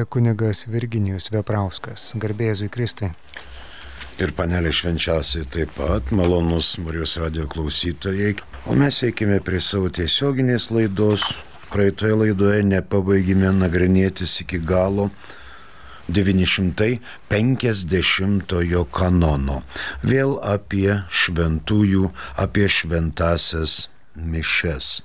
Kunigas Virginijus Veprauskas. Garbė Jėzui Kristui. Ir panelė švenčiausiai taip pat, malonus Marijos radijo klausytojai. O mes eikime prie savo tiesioginės laidos. Praeitoje laidoje nepabaigime nagrinėtis iki galo 950 kanono. Vėl apie šventųjų, apie šventasias mišias.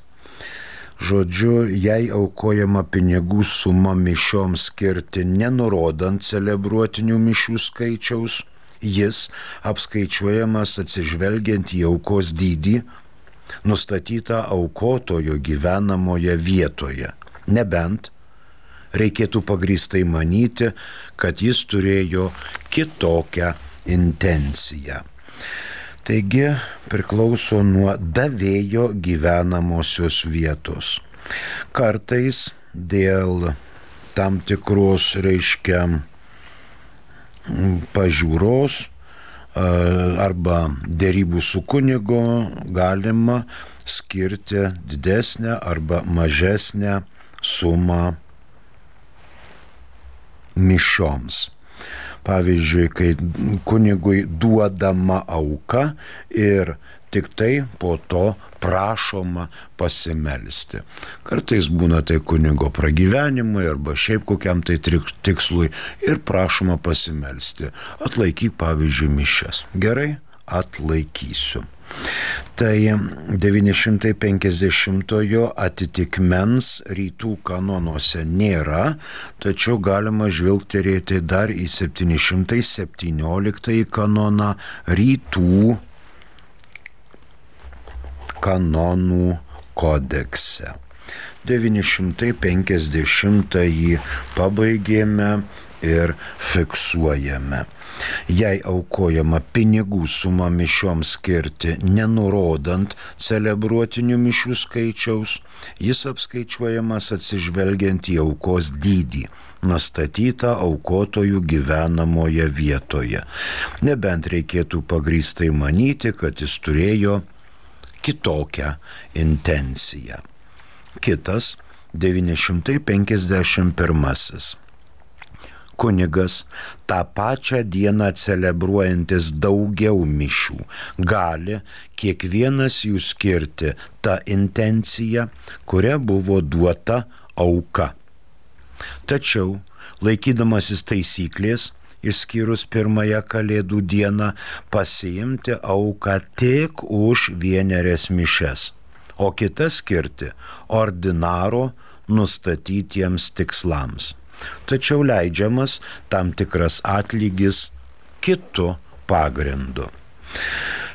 Žodžiu, jei aukojama pinigų suma mišioms skirti, nenurodant celebruotinių mišių skaičiaus, jis apskaičiuojamas atsižvelgiant į aukos dydį, nustatytą aukotojo gyvenamoje vietoje. Nebent reikėtų pagrįstai manyti, kad jis turėjo kitokią intenciją. Taigi priklauso nuo davėjo gyvenamosios vietos. Kartais dėl tam tikros, pažiūros arba dėrybų su kunigu galima skirti didesnę arba mažesnę sumą mišioms. Pavyzdžiui, kai kunigui duodama auka ir tik tai po to prašoma pasimelsti. Kartais būna tai kunigo pragyvenimui arba šiaip kokiam tai tikslui ir prašoma pasimelsti. Atlaikyk, pavyzdžiui, mišias. Gerai, atlaikysiu. Tai 950 atitikmens rytų kanonuose nėra, tačiau galima žvilgterėti dar į 717 kanoną rytų kanonų kodekse. 950 pabaigėme ir fiksuojame. Jei aukojama pinigų suma mišioms skirti, nenurodant celebruotinių mišių skaičiaus, jis apskaičiuojamas atsižvelgiant į aukos dydį, nustatytą aukotojų gyvenamoje vietoje. Nebent reikėtų pagrįstai manyti, kad jis turėjo kitokią intenciją. Kitas 951. Kunigas tą pačią dieną celebruojantis daugiau mišių gali kiekvienas jų skirti tą intenciją, kuria buvo duota auka. Tačiau, laikydamasis taisyklės, išskyrus pirmąją Kalėdų dieną, pasiimti auką tik už vienerias mišias, o kitas skirti ordinaro nustatytiems tikslams. Tačiau leidžiamas tam tikras atlygis kitu pagrindu.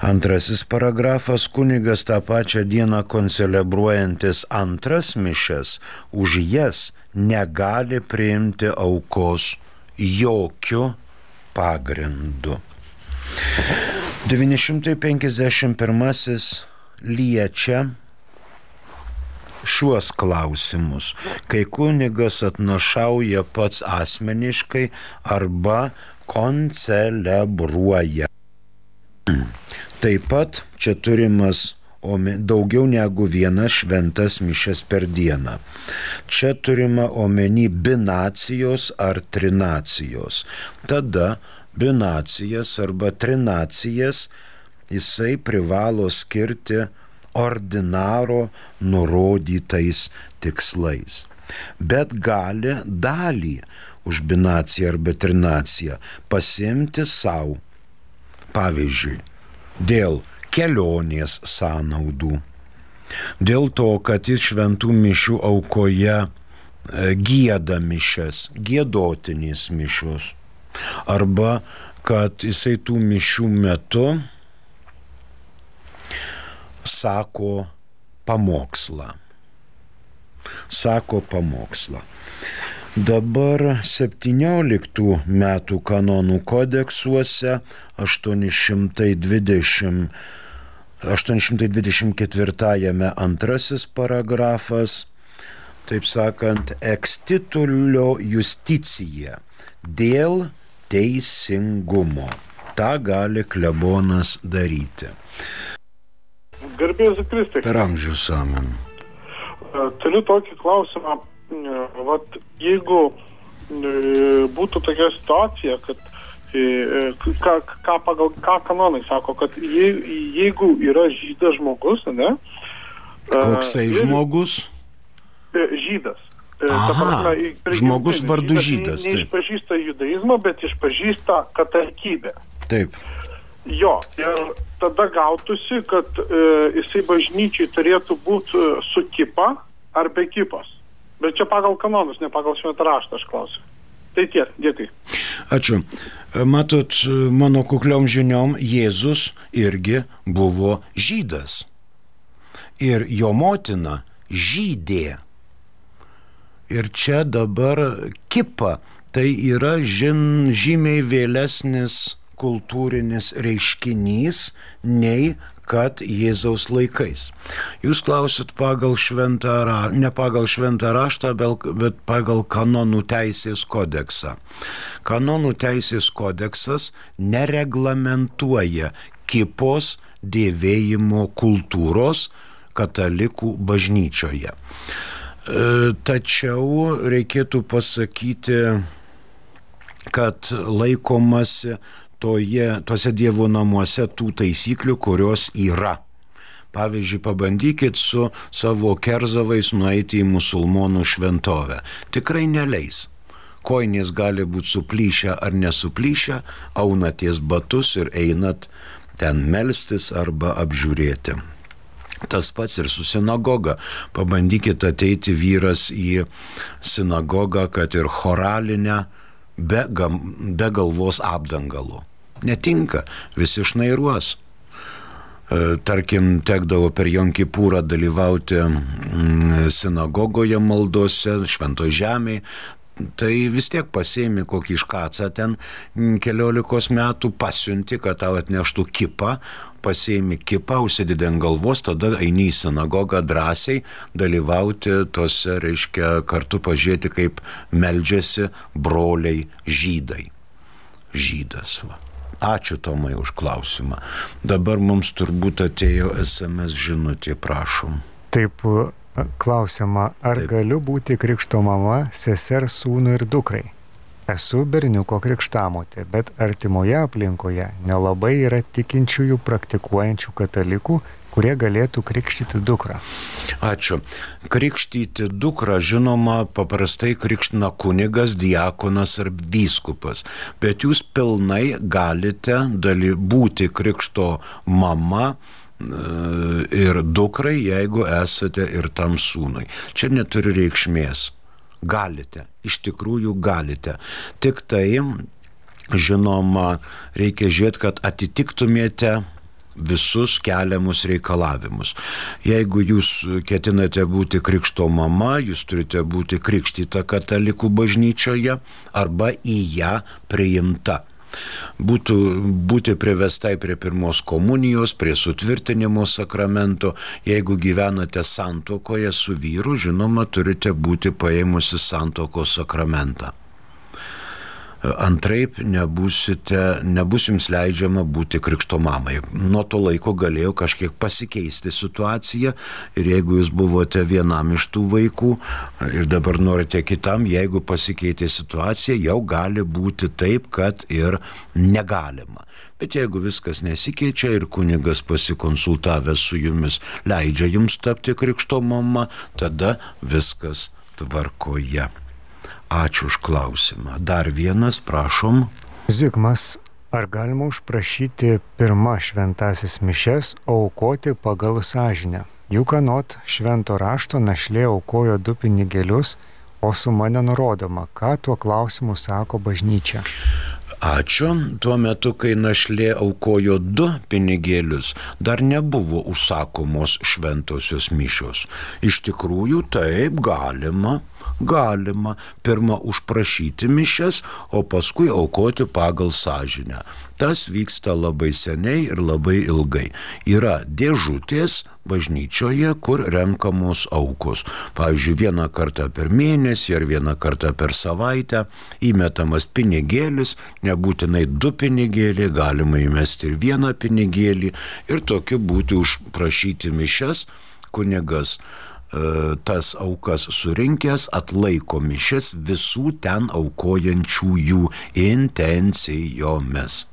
Antrasis paragrafas: kunigas tą pačią dieną koncelebruojantis antras mišias už jas negali priimti aukos jokiu pagrindu. 951 liečia šiuos klausimus, kai kunigas atnašauja pats asmeniškai arba koncelebruoja. Taip pat čia turimas daugiau negu vienas šventas mišias per dieną. Čia turima omeny binacijos ar trinacijos. Tada binacijas arba trinacijas jisai privalo skirti ordinaro nurodytais tikslais. Bet gali dalį už binaciją arba trinaciją pasiimti savo. Pavyzdžiui, dėl kelionės sąnaudų, dėl to, kad jis šventų mišių aukoje gieda mišias, giedotinės mišios, arba kad jisai tų mišių metu sako pamokslą. Dabar 17 metų kanonų kodeksuose 824 antrasis paragrafas, taip sakant, ex titulio justicija, dėl teisingumo. Ta gali klebonas daryti. Garbė Jėzui Kristui. Per amžius amen. Turiu tokį klausimą. Jeigu būtų tokia situacija, kad ką kanonai sako, kad jeigu yra žydas žmogus, ne? Koksai žmogus? Žydas. Aha, žmogus vardu žydas. Neišpažįsta judaizmą, bet išpažįsta katalikybę. Taip. Jo, ir tada gautųsi, kad jisai bažnyčiai turėtų būti su kipa ar be kipos. Bet čia pagal kanonus, ne pagal šventą raštą, aš klausiu. Tai tiek, dėkui. Ačiū. Matot, mano kukliom žiniom, Jėzus irgi buvo žydas. Ir jo motina žydė. Ir čia dabar kipa, tai yra žymiai vėlesnis kultūrinis reiškinys nei kad Jėzaus laikais. Jūs klausit ne pagal šventą raštą, bet pagal kanonų teisės kodeksą. Kanonų teisės kodeksas nereglamentuoja kipos dėvėjimo kultūros katalikų bažnyčioje. Tačiau reikėtų pasakyti, kad laikomasi tuose Dievo namuose tų taisyklių, kurios yra. Pavyzdžiui, pabandykit su savo kerzavais nueiti į musulmonų šventovę. Tikrai neleis. Koinės gali būti suplyšę ar nesuplyšę, aunaties batus ir einat ten melstis arba apžiūrėti. Tas pats ir su sinagoga. Pabandykit ateiti vyras į sinagogą, kad ir choralinę, be galvos apdangalų. Netinka, visi šnairuos. Tarkim, tekdavo per Jom Kipūrą dalyvauti sinagogoje maldose, švento žemėje, tai vis tiek pasiėmi kokį škacą ten 14 metų, pasiunti, kad tau atneštų kipą, pasiėmi kipą, užsidedi ant galvos, tada eini į sinagogą drąsiai dalyvauti tose, reiškia, kartu pažiūrėti, kaip meldžiasi broliai žydai. Žydas, va. Ačiū Tomai už klausimą. Dabar mums turbūt atėjo SMS žinutė, prašom. Taip, klausiama, ar Taip. Galiu būti krikšto mama, sesers, sūnui ir dukrai? Esu berniuko krikštamotė, bet artimoje aplinkoje nelabai yra tikinčiųjų praktikuojančių katalikų, kurie galėtų krikštyti dukrą. Ačiū. Krikštyti dukrą, žinoma, paprastai krikština kunigas, diakonas ar vyskupas, bet jūs pilnai galite būti krikšto mama ir dukrai, jeigu esate ir tam sūnui. Čia neturi reikšmės. Galite, iš tikrųjų galite. Tik tai, žinoma, reikia žiūrėti, kad atitiktumėte visus keliamus reikalavimus. Jeigu jūs ketinate būti krikšto mama, jūs turite būti krikštyta katalikų bažnyčioje arba į ją priimta. Būti privestai prie pirmos komunijos, prie sutvirtinimo sakramento. Jeigu gyvenate santuokoje su vyru, žinoma, turite būti paėmusi santuokos sakramentą. Antraip nebus jums leidžiama būti krikšto mamai. Nuo to laiko galėjo kažkiek pasikeisti situacija ir jeigu jūs buvote vienam iš tų vaikų ir dabar norite kitam, jeigu pasikeitė situacija, jau gali būti taip, kad ir negalima. Bet jeigu viskas nesikeičia ir kunigas pasikonsultavęs su jumis leidžia jums tapti krikšto mama, tada viskas tvarkoje. Ačiū už klausimą. Dar vienas, prašom. Zigmas, ar galima užprašyti pirmą šventasis mišias aukoti pagal sąžinę? Juk anot švento rašto našlė aukojo 2 pinigėlius, o suma nenurodoma. Ką tuo klausimu sako bažnyčia? Ačiū. Tuo metu, kai našlė aukojo 2 pinigėlius, dar nebuvo užsakomos šventosios mišios. Iš tikrųjų, taip galima pirmą užprašyti mišias, o paskui aukoti pagal sąžinę. Tas vyksta labai seniai ir labai ilgai. Yra dėžutės bažnyčioje, kur renkamos aukos. Pavyzdžiui, 1 kartą per mėnesį ar 1 kartą per savaitę įmetamas pinigėlis, nebūtinai 2 pinigėliai, galima įmesti ir 1 pinigėlį ir tokiu būti užprašyti mišias. Kunigas tas aukas surinkęs atlaiko mišias visų ten aukojančiųjų intencijomis.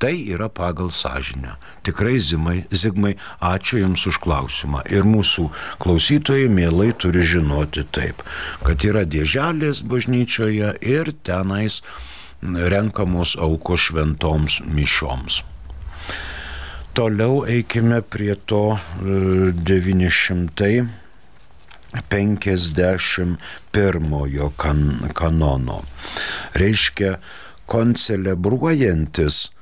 Tai yra pagal sąžinę. Tikrai, Zigmai, ačiū Jums už klausimą. Ir mūsų klausytojai mielai turi žinoti taip, kad yra dėželės bažnyčioje ir tenais renkamos aukos šventoms mišioms. Toliau eikime prie to 951 kanono. Reiškia, koncelebruojantis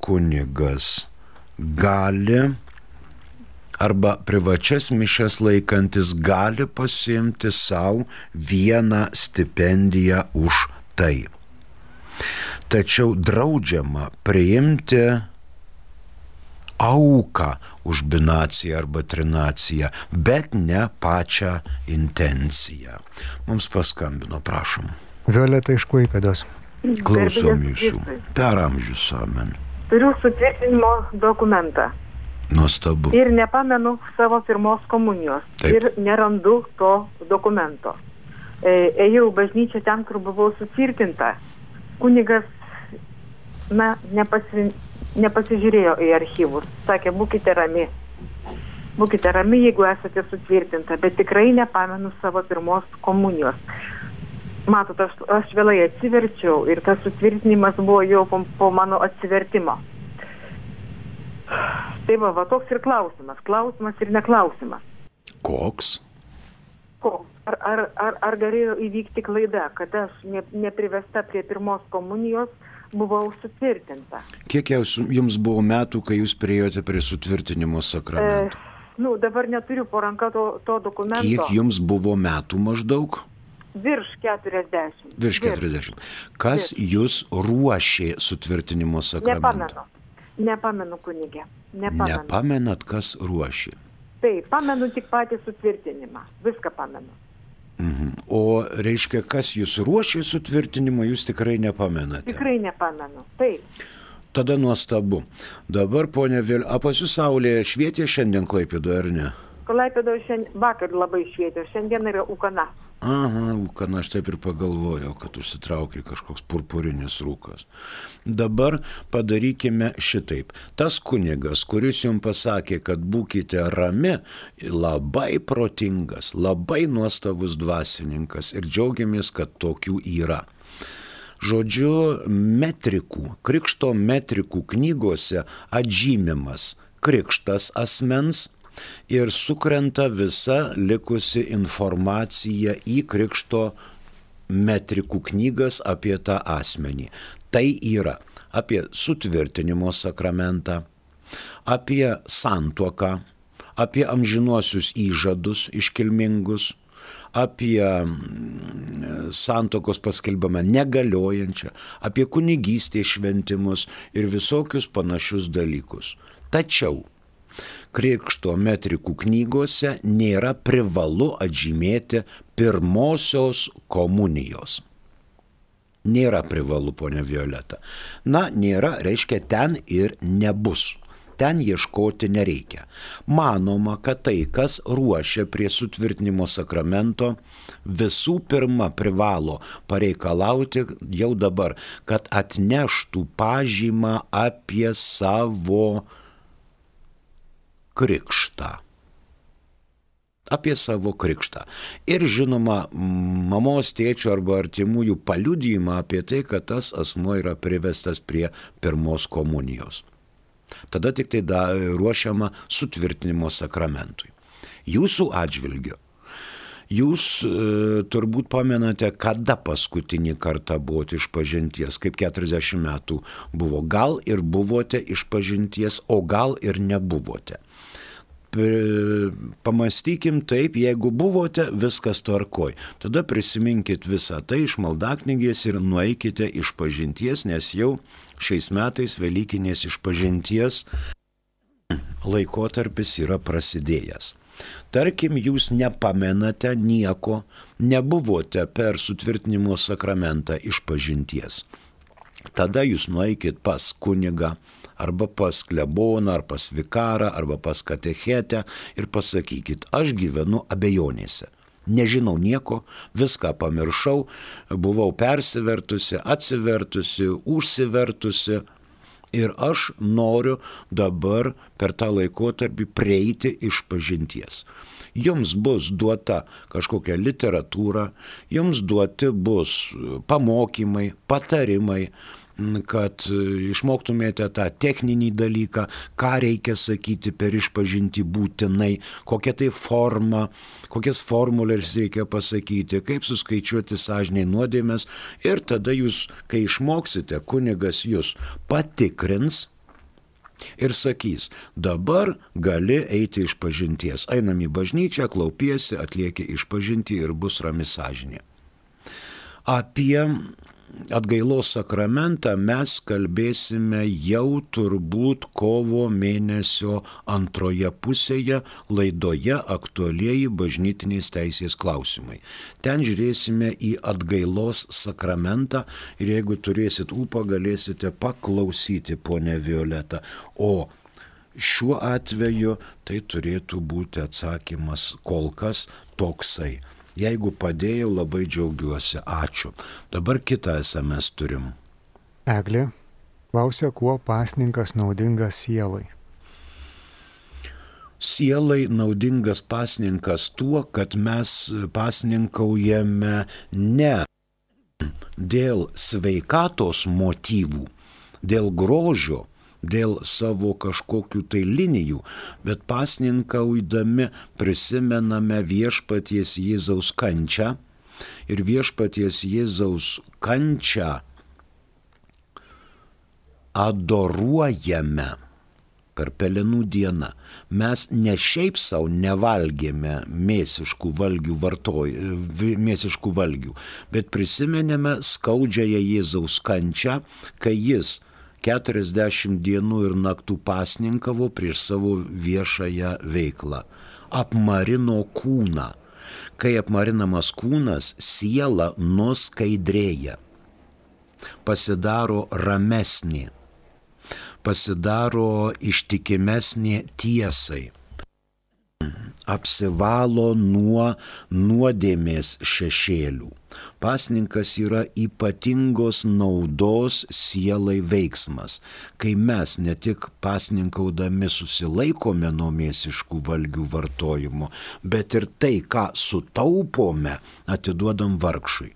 kunigas gali arba privačias mišias laikantis gali pasiimti savo vieną stipendiją už tai. Tačiau draudžiama priimti auką už binaciją arba trinaciją, bet ne pačią intenciją. Mums paskambino, prašom. Violeta iš Klaipėdos. Klausom Jūsų. Per amžius, amen. Turiu sutvirtinimo dokumentą. Nuostabu. Ir nepamenu savo pirmos komunijos. Taip. Ir nerandu to dokumento. Ėjau bažnyčią ten, kur buvau sutvirtinta. Kunigas, nepasižiūrėjo į archyvus. Sakė, būkite rami. Būkite rami, jeigu esate sutvirtinta, bet tikrai nepamenu savo pirmos komunijos. Matot, aš vėlai atsiverčiau ir tas sutvirtinimas buvo jau po mano atsivertimo. Tai va, toks ir klausimas. Klausimas ir neklausimas. Koks? Ar galėjo įvykti klaida, kad aš neprivesta prie pirmos komunijos buvau sutvirtinta? Kiek jums buvo metų, kai jūs priėjote prie sutvirtinimo sakramento? Dabar neturiu po ranka to dokumento. Kiek jums buvo metų maždaug? Virš 40. Virš 40. Kas jūs ruošė sutvirtinimo sakramentą? Nepamenu, kunigė. Nepamenat, kas ruošė? Taip, pamenu tik patį sutvirtinimą. Viską pamenu. O reiškia, kas jūs ruošė sutvirtinimą, jūs tikrai nepamenate? Tikrai nepamenu. Taip. Tada nuostabu. Dabar, ponia Vėl, pas jūs saulė švietė šiandien Klaipėdoje, ar ne? Klaipėdoje vakar labai švietė, šiandien yra ūkana. Aha, ūkana, aš taip ir pagalvojau, kad užsitraukė kažkoks purpurinis rūkas. Dabar padarykime šitaip. Tas kunigas, kuris jums pasakė, kad būkite rami, labai protingas, labai nuostabus dvasininkas ir džiaugiamės, kad tokių yra. Žodžiu, krikšto metrikų knygose atžymimas krikštas asmens ir sukrenta visa likusi informacija į krikšto metrikų knygas apie tą asmenį. Tai yra apie sutvirtinimo sakramentą, apie santuoką, apie amžinuosius įžadus iškilmingus, apie santuokos paskelbimą negaliojančią, apie kunigystės šventimus ir visokius panašius dalykus. Tačiau krikšto metrikų knygose nėra privalu atžymėti pirmosios komunijos. Nėra privalu, ponia Violeta. Nėra, reiškia, ten ir nebus. Ten ieškoti nereikia. Manoma, kad tai, kas ruošia prie sutvirtinimo sakramento, visų pirma privalo pareikalauti jau dabar, kad atneštų pažymą apie savo krikštą. Apie savo krikštą. Ir žinoma, mamos, tėčio arba artimųjų paliudijimą apie tai, kad tas asmuo yra privestas prie pirmos komunijos. Tada tik tai ruošiama sutvirtinimo sakramentui. Jūsų atžvilgiu, jūs turbūt pamenate, kada paskutinį kartą buvote išpažinties, kaip 40 metų buvo. Gal ir buvote išpažinties, o gal ir nebuvote. Pamastykim taip, jeigu buvote, viskas tvarkoj. Tada prisiminkit visą tai iš maldaknygės ir nueikite išpažinties, nes jau šiais metais Velykinės išpažinties laikotarpis yra prasidėjęs. Tarkim, jūs nepamenate nieko, nebuvote per sutvirtinimo sakramentą išpažinties. Tada jūs nueikit pas kunigą arba pas kleboną, ar pas vikarą, arba pas katechetę ir pasakykit, aš gyvenu abejonėse. Nežinau nieko, viską pamiršau, buvau persivertusi, atsivertusi, užsivertusi ir aš noriu dabar per tą laikotarpį prieiti išpažinties. Jums bus duota kažkokia literatūra, jums duoti bus pamokymai, patarimai, kad išmoktumėte tą techninį dalyką, ką reikia sakyti per išpažintį būtinai, kokia tai forma, kokias formulės reikia pasakyti, kaip suskaičiuoti sąžinei nuodėmes ir tada jūs, kai išmoksite, kunigas jūs patikrins ir sakys, dabar gali eiti išpažinties. Einam į bažnyčią, klaupiesi, atlieki išpažintį ir bus rami sąžinė. Apie atgailos sakramentą mes kalbėsime jau turbūt kovo mėnesio antroje pusėje laidoje aktualieji bažnytinės teisės klausimai. Ten žiūrėsime į atgailos sakramentą ir jeigu turėsit ūpą, galėsite paklausyti, ponė Violeta. O šiuo atveju tai turėtų būti atsakymas kol kas toksai. Jeigu padėjau, labai džiaugiuosi. Ačiū. Dabar kitą SMS turim. Eglė klausia, kuo pasninkas naudingas sielai. Sielai naudingas pasninkas tuo, kad mes pasninkaujame ne dėl sveikatos motyvų, dėl grožio, dėl savo kažkokių tai linijų, bet pasninkaudami prisimename viešpaties Jėzaus kančią ir viešpaties Jėzaus kančią adoruojame per Pelenų dieną. Mes ne šiaip savo nevalgėme mėsiškų valgių, bet prisimenėme skaudžiąją Jėzaus kančią, kai jis 40 dienų ir naktų pasninkavo prieš savo viešąją veiklą. Apmarino kūną. Kai apmarinamas kūnas, siela nuskaidrėja. Pasidaro ramesnė. Pasidaro ištikimesnė tiesai. Apsivalo nuo nuodėmės šešėlių. Pasninkas yra ypatingos naudos sielai veiksmas, kai mes ne tik pasninkaudami susilaikome nuo mėsiškų valgių vartojimo, bet ir tai, ką sutaupome, atiduodam vargšui.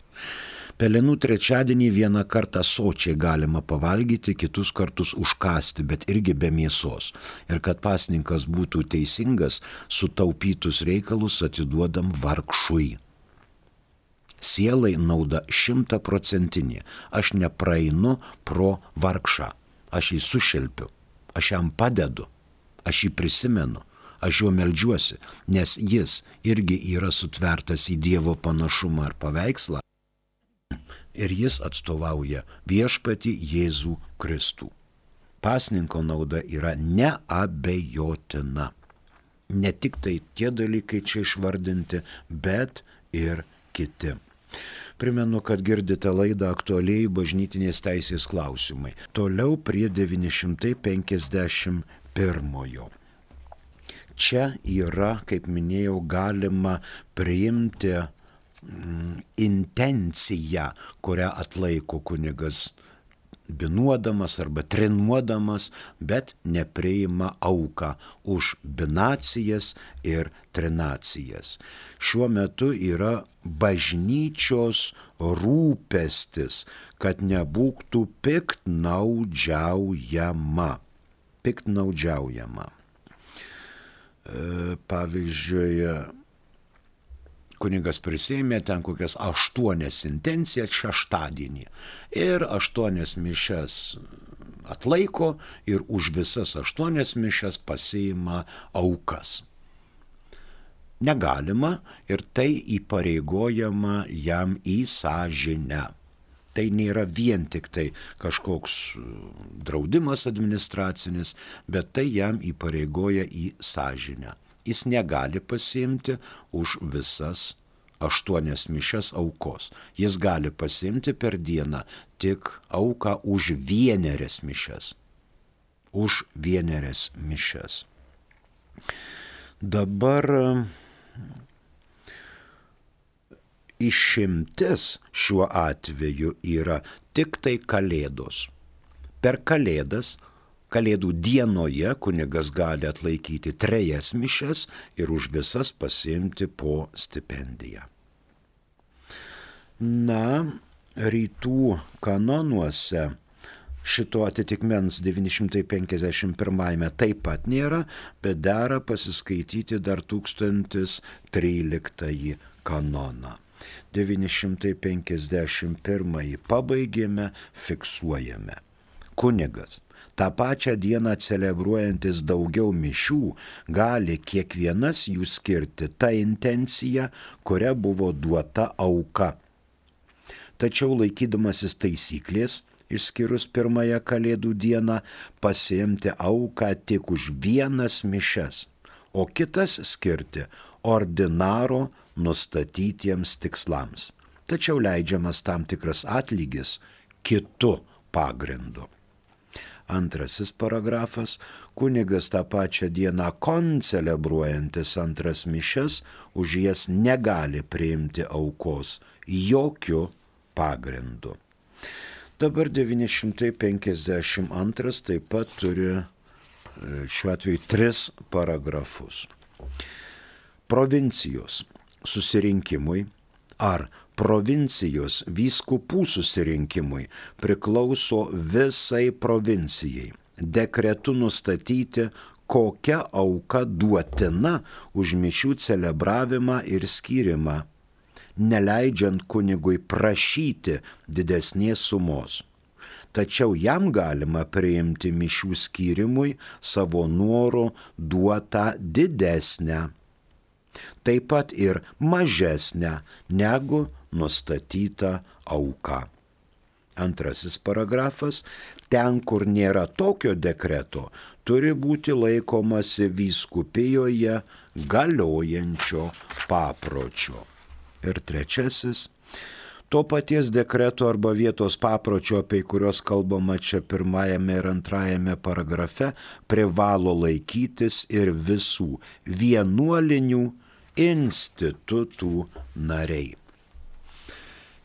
Pelenų trečiadienį vieną kartą sočiai galima pavalgyti, kitus kartus užkasti, bet irgi be mėsos. Ir kad pasninkas būtų teisingas, sutaupytus reikalus atiduodam vargšui. Sielai nauda 100%. Aš nepraeinu pro vargšą. Aš jį sušelpiu. Aš jam padedu. Aš jį prisimenu. Aš juo meldžiuosi, nes jis irgi yra sutvertas į Dievo panašumą ar paveikslą. Ir jis atstovauja viešpatį Jėzų Kristų. Pasninko nauda yra neabejotina. Ne tik tai tie dalykai čia išvardinti, bet ir kiti. Primenu, kad girdite laidą aktualiai bažnytinės teisės klausimai. Toliau prie 951. Čia yra, kaip minėjau, galima priimti intenciją, kurią atlaiko kunigas binuodamas arba trinuodamas, bet nepriima auką už binacijas ir trinacijas. Šiuo metu yra bažnyčios rūpestis, kad nebūtų piktnaudžiaujama. Pavyzdžiui, kunigas prisėmė ten kokias 8 intencijas šeštadienį ir 8 mišias atlaiko ir už visas 8 mišias pasiima aukas. Negalima ir tai įpareigojama jam į sąžinę. Tai nėra vien tik tai kažkoks draudimas administracinis, bet tai jam įpareigoja į sąžinę. Jis negali pasiimti už visas 8 mišias aukos. Jis gali pasiimti per dieną tik auką už 1 mišias. už vienerias mišias. Dabar išimtis šiuo atveju yra tik tai Kalėdos. Per Kalėdas, Kalėdų dienoje kunigas gali atlaikyti 3 mišias ir už visas pasiimti po stipendiją. Na, rytų kanonuose šito atitikmens 951 taip pat nėra, bet dera pasiskaityti dar 1013 kanoną. 951 pabaigėme, fiksuojame. Kunigas, tą pačią dieną celebruojantis daugiau mišių, gali kiekvienas jų skirti tą intenciją, kuria buvo duota auka. Tačiau laikydamasis taisyklės, išskyrus pirmąją Kalėdų dieną, pasiimti auką tik už 1 mišias, o kitas skirti ordinaro nustatytiems tikslams. Tačiau leidžiamas tam tikras atlygis kitu pagrindu. Antrasis paragrafas. Kunigas tą pačią dieną koncelebruojantis 2 mišias už jas negali priimti aukos jokiu pagrindu. Dabar 952 taip pat turi šiuo atveju 3 paragrafus. Provincijos susirinkimui ar provincijos vyskupų susirinkimui priklauso visai provincijai dekretu nustatyti, kokia auka duotina už mišių celebravimą ir skyrimą, neleidžiant kunigui prašyti didesnės sumos. Tačiau jam galima priimti mišių skyrimui savo noru duotą didesnę, taip pat ir mažesnę negu nustatyta auka. Antrasis paragrafas. Ten, kur nėra tokio dekreto, turi būti laikomasi vyskupijoje galiojančio papročio. Ir trečiasis. To paties dekreto arba vietos papročio, apie kurios kalbama čia 1 ir 2 paragrafe, privalo laikytis ir visų vienuolinių institutų nariai.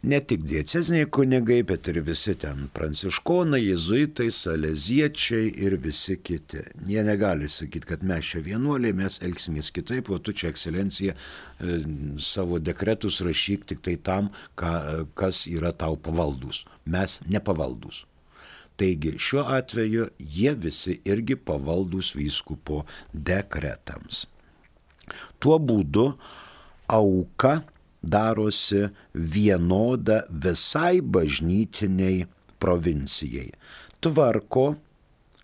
Ne tik dieceziniai kunigai, bet ir visi ten pranciškonai, jėzuitai, saleziečiai ir visi kiti. Jie negali sakyti, kad mes čia vienuoliai, mes elgsimės kitaip, o tu čia, ekscelencija, savo dekretus rašyk tik tai tam, kas yra tau pavaldus. Mes nepavaldus. Taigi šiuo atveju jie visi irgi pavaldus vyskupo dekretams. Tuo būdu auka darosi vienoda visai bažnytiniai provincijai. Tvarko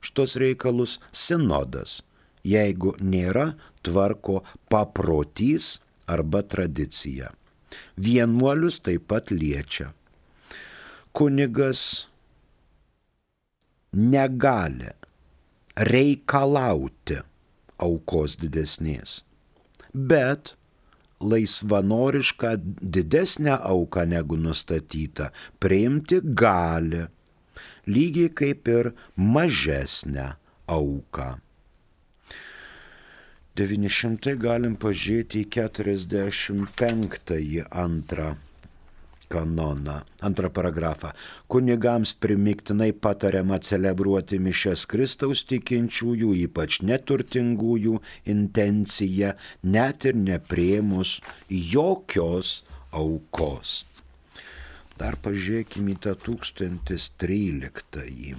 šitos reikalus sinodas, jeigu nėra, tvarko paprotys arba tradicija. Vienuolius taip pat liečia. Kunigas negali reikalauti aukos didesnės, bet laisvanorišką didesnę auką negu nustatyta priimti gali, lygiai kaip ir mažesnę auką. 900 galim pažiūrėti į 45 antrą kanoną, 2 paragrafą. Kunigams primiktinai patariama celebruoti mišias Kristaus tikinčiųjų, ypač neturtingųjų intenciją, net ir nepriėmus jokios aukos. Dar pažiūrėkime į tą 1013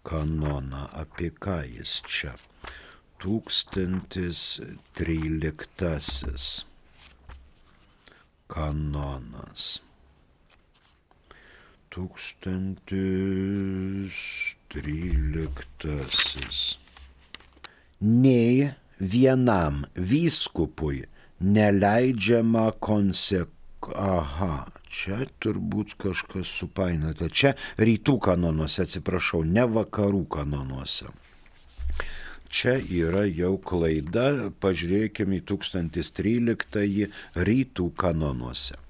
kanoną, apie ką jis čia. 1013 kanonas. 1013. Nei vienam vyskupui neleidžiama čia turbūt kažkas supainiota. Čia rytų kanonuose, atsiprašau, ne vakarų kanonuose. Čia yra jau klaida, pažiūrėkime į 1013 rytų kanonuose.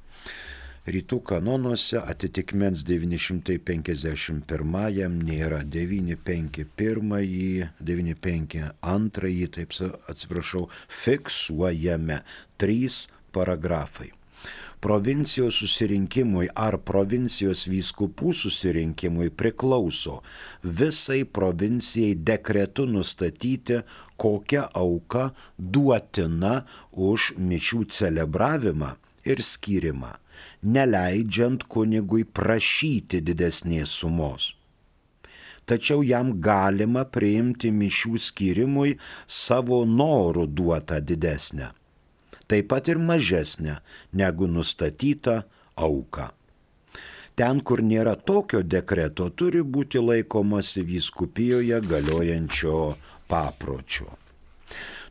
Rytų kanonuose atitikmens 951 nėra, 951, 952, taip atsiprašau, fiksuojame 3 paragrafai. Provincijos susirinkimui ar provincijos vyskupų susirinkimui priklauso visai provincijai dekretu nustatyti, kokia auka duotina už mišių celebravimą ir skyrimą, neleidžiant kunigui prašyti didesnės sumos. Tačiau jam galima priimti mišių skyrimui savo norų duotą didesnę, taip pat ir mažesnę negu nustatyta auka. Ten, kur nėra tokio dekreto, turi būti laikomasi vyskupijoje galiojančio papročio.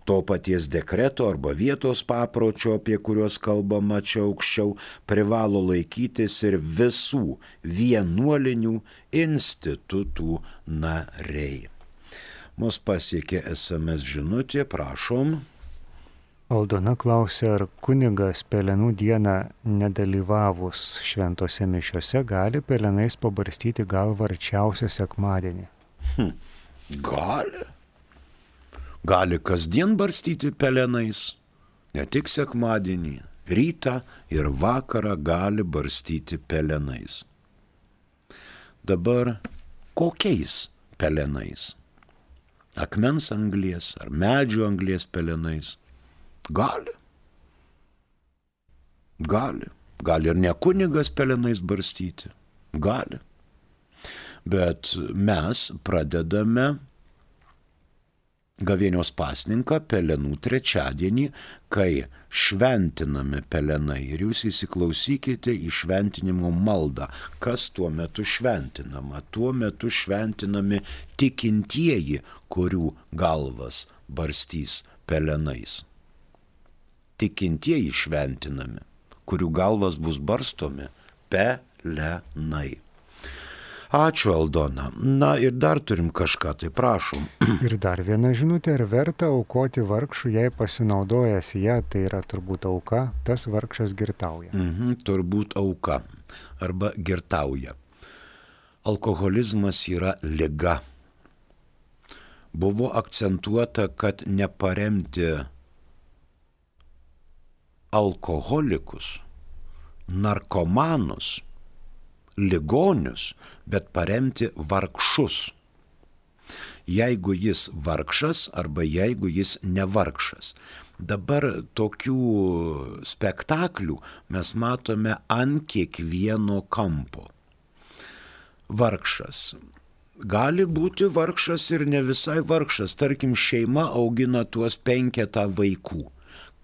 To paties dekreto arba vietos papročio, apie kuriuos kalbama čia aukščiau, privalo laikytis ir visų vienuolinių institutų nariai. Mus pasiekė SMS žinutė, prašom. Aldona klausia, ar kunigas pelenų dieną nedalyvavus šventose mišiose gali pelenais pabarstyti galvą arčiausią sekmadienį? Gali. Gali kasdien barstyti pelenais, ne tik sekmadienį, rytą ir vakarą gali barstyti pelenais. Dabar kokiais pelenais? Akmens anglies ar medžio anglies pelenais? Gali. Gali. Gali ir ne kunigas pelenais barstyti. Gali. Bet mes pradedame gavėnios pasninką pelenų trečiadienį, kai šventinami pelenai. Ir jūs įsiklausykite į šventinimo maldą. Kas tuo metu šventinama? Tuo metu šventinami tikintieji, kurių galvas barstys pelenais. Tikintieji šventinami, kurių galvas bus barstomi pelenai. Ačiū, Aldona. Na ir dar turim kažką, tai prašom. Ir dar viena žinutė, ar verta aukoti vargšų, jei pasinaudojęs ją, tai yra turbūt auka, tas vargšas girtauja. Turbūt auka arba girtauja. Alkoholizmas yra liga. Buvo akcentuota, kad neparemti alkoholikus, narkomanus, ligonius, bet paremti vargšus. Jeigu jis vargšas arba jeigu jis nevargšas. Dabar tokių spektaklių mes matome ant kiekvieno kampo. Vargšas. Gali būti vargšas ir ne visai vargšas. Tarkim, šeima augina tuos 5 vaikų.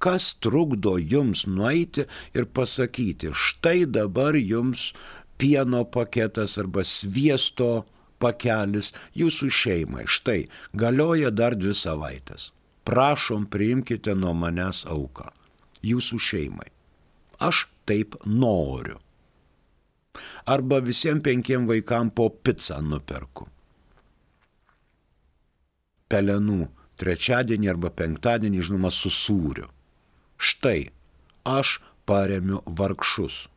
Kas trukdo jums nueiti ir pasakyti, štai dabar jums pieno paketas arba sviesto pakelis jūsų šeimai. Štai, galioja dar 2 savaitės. Prašom, priimkite nuo manęs auką. Jūsų šeimai. Aš taip noriu. Arba visiems 5 vaikams po pizzą nuperku. Pelenų trečiadienį arba penktadienį, žinoma, su sūriu. Štai, aš paremiu vargšus.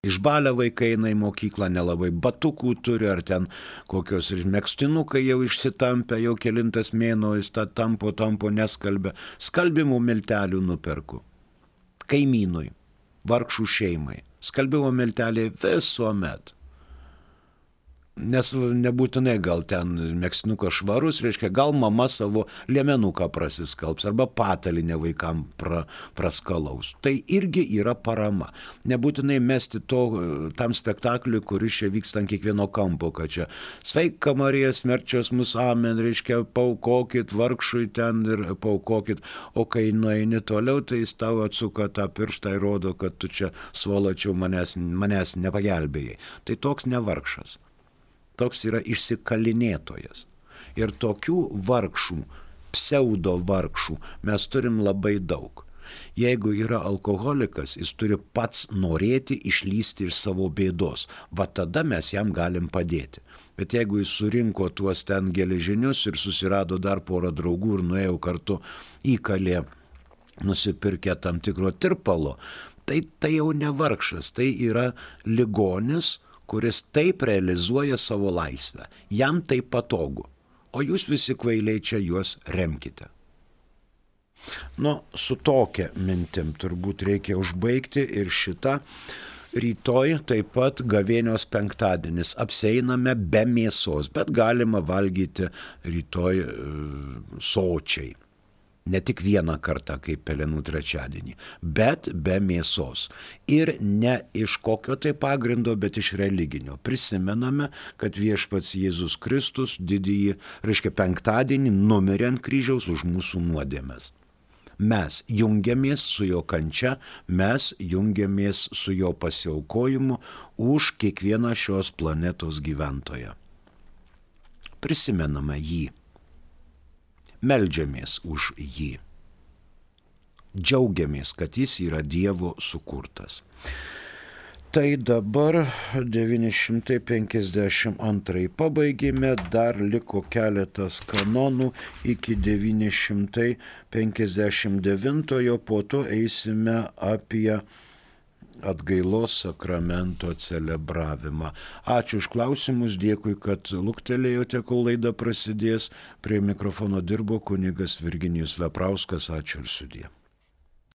Išbalę vaikai eina į mokyklą, nelabai batukų turi, ar ten kokios ir megztinukai jau išsitampę, jau kelintas mėnuo jis tą tampo neskalbia. Skalbimų miltelių nuperku. Kaimynui, vargšų šeimai. Skalbimo milteliai visuomet. Nes nebūtinai gal ten megztinukas švarus, reiškia, gal mama savo liemenuką prasiskalbs arba patalinę vaikam praskalaus. Tai irgi yra parama. Nebūtinai mesti tam spektakliui, kuris čia vyksta ant kiekvieno kampo, kad čia sveika Marija, smerčios mus, amen, reiškia, paukokit vargšui ten ir paukokit, o kai nueini toliau, tai jis tau atsuka tą pirštą ir rodo, kad tu čia svolačiau manęs nepagelbėjai. Tai toks nevargšas. Toks yra išsikalinėtojas. Ir tokių vargšų, pseudo vargšų mes turim labai daug. Jeigu yra alkoholikas, jis turi pats norėti išlysti iš savo bėdos. Va tada mes jam galim padėti. Bet jeigu jis surinko tuos ten geležinius ir susirado dar porą draugų ir nuėjo kartu įkalė nusipirkę tam tikro tirpalo, Tai jau ne vargšas, tai yra ligonis, kuris taip realizuoja savo laisvę. Jam tai patogu. O jūs visi kvailiai čia juos remkite. Su tokia mintim turbūt reikia užbaigti ir šitą. Rytoj taip pat gavėnios penktadienis. Apseiname be mėsos, bet galima valgyti rytoj sočiai. Ne tik vieną kartą, kaip Pelenų trečiadienį, bet be mėsos. Ir ne iš kokio tai pagrindo, bet iš religinio. Prisimename, kad viešpats Jėzus Kristus didįjį, penktadienį numirė ant kryžiaus už mūsų nuodėmes. Mes jungiamės su jo kančia, mes jungiamės su jo pasiaukojimu už kiekvieną šios planetos gyventoją. Prisimename jį. Meldžiamės už jį. Džiaugiamės, kad jis yra Dievo sukurtas. Tai dabar 952 pabaigėme, dar liko keletas kanonų iki 959, po to eisime apie atgailos sakramento celebravimą. Ačiū už klausimus, dėkui, kad luktelėjote, kol laida prasidės. Prie mikrofono dirbo kunigas Virginijus Veprauskas. Ačiū ir sudie.